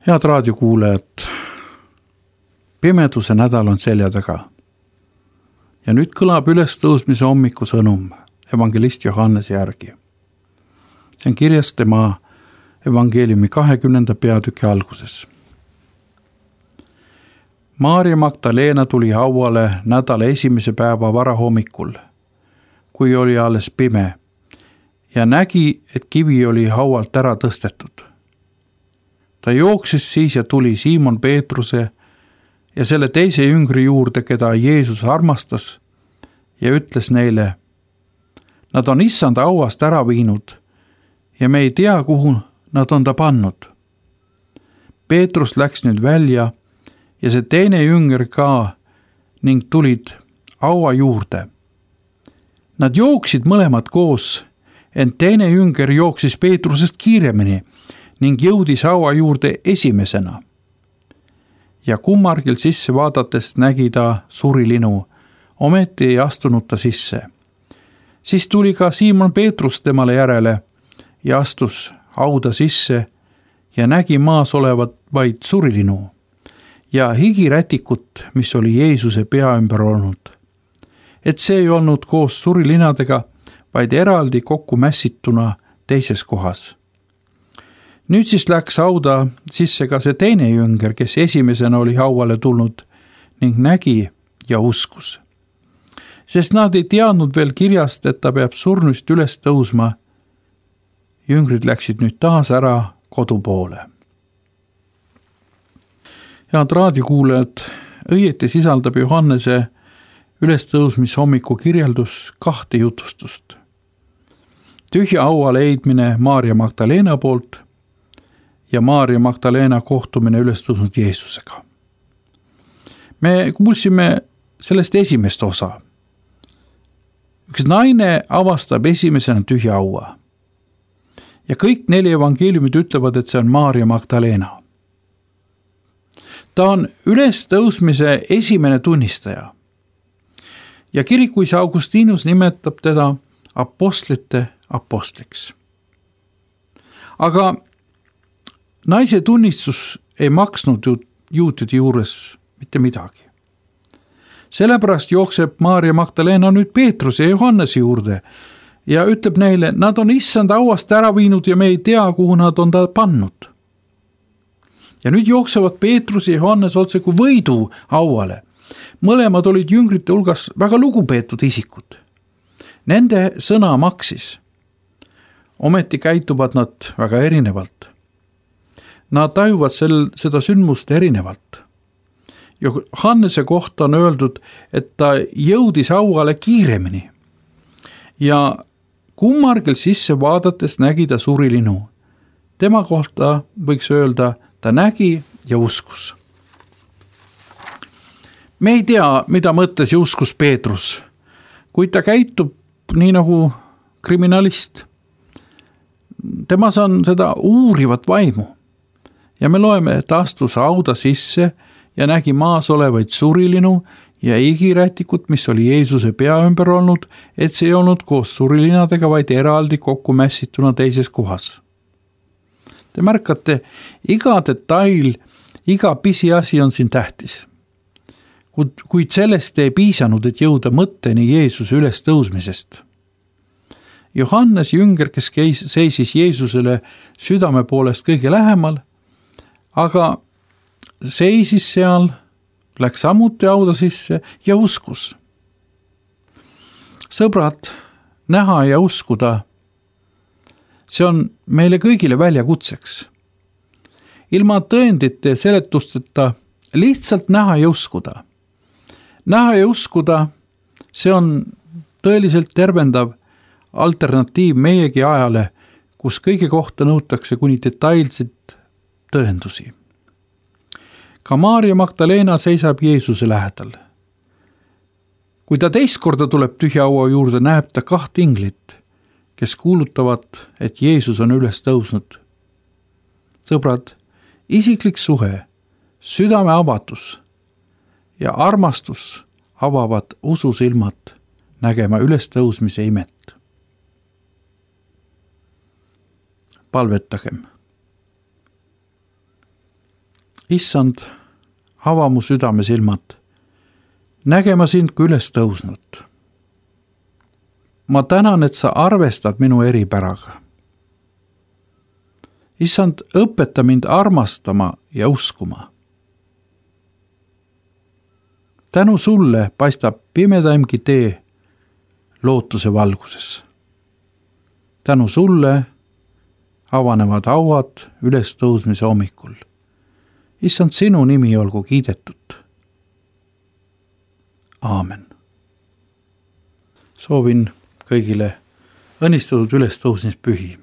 Head raadiokuulajad, pimeduse nädal on selja taga. Ja nüüd kõlab ülestõusmise hommiku sõnum evangelist Johannese järgi. See on kirjas tema evangeeliumi 20. peatüki alguses. Maarja Magdalena tuli hauale nädala esimese päeva varahommikul, kui oli alles pime, ja nägi, et kivi oli haualt ära tõstetud. Ta jooksis siis ja tuli Siimon Peetruse ja selle teise jüngri juurde, keda Jeesus armastas, ja ütles neile: nad on issanda hauast ära viinud ja me ei tea, kuhu nad on ta pannud. Peetrus läks nüüd välja ja see teine jünger ka ning tulid haua juurde. Nad jooksid mõlemad koos, ent teine jünger jooksis Peetrusest kiiremini ning jõudis haua juurde esimesena. Ja kummargil sisse vaadates nägi ta surilinu, ometi ei astunud ta sisse. Siis tuli ka Siimon Peetrus temale järele ja astus hauda sisse ja nägi maas olevat vaid surilinu ja higirätikut, mis oli Jeesuse pea ümber olnud. Et see ei olnud koos surilinadega, vaid eraldi kokku mässituna teises kohas. Nüüd siis läks hauda sisse ka see teine jünger, kes esimesena oli hauale tulnud ning nägi ja uskus. Sest nad ei teadnud veel kirjast, et ta peab surnust üles tõusma. Jüngrid läksid nüüd taas ära kodu poole. Head raadiokuulajad, õieti sisaldab Johannese ülestõusmishommiku kirjeldus 2 jutustust. Tühja haua leidmine Maarja Magdalena poolt ja Maarja Magdalena kohtumine ülestõusnud Jeesusega. Me kuulsime sellest esimest osa. Üks naine avastab esimesena tühja haua. Ja kõik 4 evangeeliumid ütlevad, et see on Maarja Magdalena. Ta on ülestõusmise esimene tunnistaja. Ja kirikuisa Augustinus nimetab teda apostlite apostliks. Aga naise tunnistus ei maksnud juutide juures mitte midagi. Sellepärast jookseb Maarja Magdalena nüüd Peetruse ja Johannese juurde ja ütleb neile, nad on issanda hauast ära viinud ja me ei tea, kuhu nad on ta pannud. Ja nüüd jooksevad Peetrus ja Johannes otse kui võidu hauale. Mõlemad olid jüngrite hulgas väga lugupeetud isikud. Nende sõna maksis. Ometi käituvad nad väga erinevalt. Nad tajuvad seda sündmust erinevalt. Johannese kohta on öeldud, et ta jõudis hauale kiiremini. Ja kummargil sisse vaadates nägi ta surilinu. Tema kohta võiks öelda, ta nägi ja uskus. Me ei tea, mida mõtles ja uskus Peetrus, kuid ta käitub nii nagu kriminalist. Temas on seda uurivat vaimu. Ja me loeme, et astus hauda sisse ja nägi maas olevaid surilinu ja higirätikut, mis oli Jeesuse pea ümber olnud, et see ei olnud koos surilinadega, vaid eraldi kokku mässituna teises kohas. Te märkate, iga detail, iga pisiasi on siin tähtis. Kuid sellest ei piisanud, et jõuda mõtteni Jeesuse üles tõusmisest. Johannes jünger, kes seisis Jeesusele südame poolest kõige lähemal, aga seisis seal, läks samuti hauda sisse ja uskus. Sõbrad, näha ja uskuda, see on meile kõigile väljakutseks. Ilma tõendite seletusteta lihtsalt näha ja uskuda. Näha ja uskuda, see on tõeliselt tervendav alternatiiv meiegi ajale, kus kõige kohta nõutakse kuni detailseid tõendusi. Ka Maarja Magdalena seisab Jeesuse lähedal. Kui ta teist korda tuleb tühja haua juurde, näeb ta 2 inglit, kes kuulutavad, et Jeesus on üles tõusnud. Sõbrad, isiklik suhe, südame avatus ja armastus avavad ususilmad nägema ülestõusmise imet. Palvetagem. issand, ava mu südame silmad, nägema sind kui üles tõusnud. Ma tänan, et sa arvestad minu eripäraga. Issand, õpeta mind armastama ja uskuma. Tänu sulle paistab pimedaimgi tee lootuse valguses. Tänu sulle avanevad hauad ülestõusmise hommikul. Issand, sinu nimi olgu kiidetud. Aamen. Soovin kõigile õnnistatud ülestõusmispühi.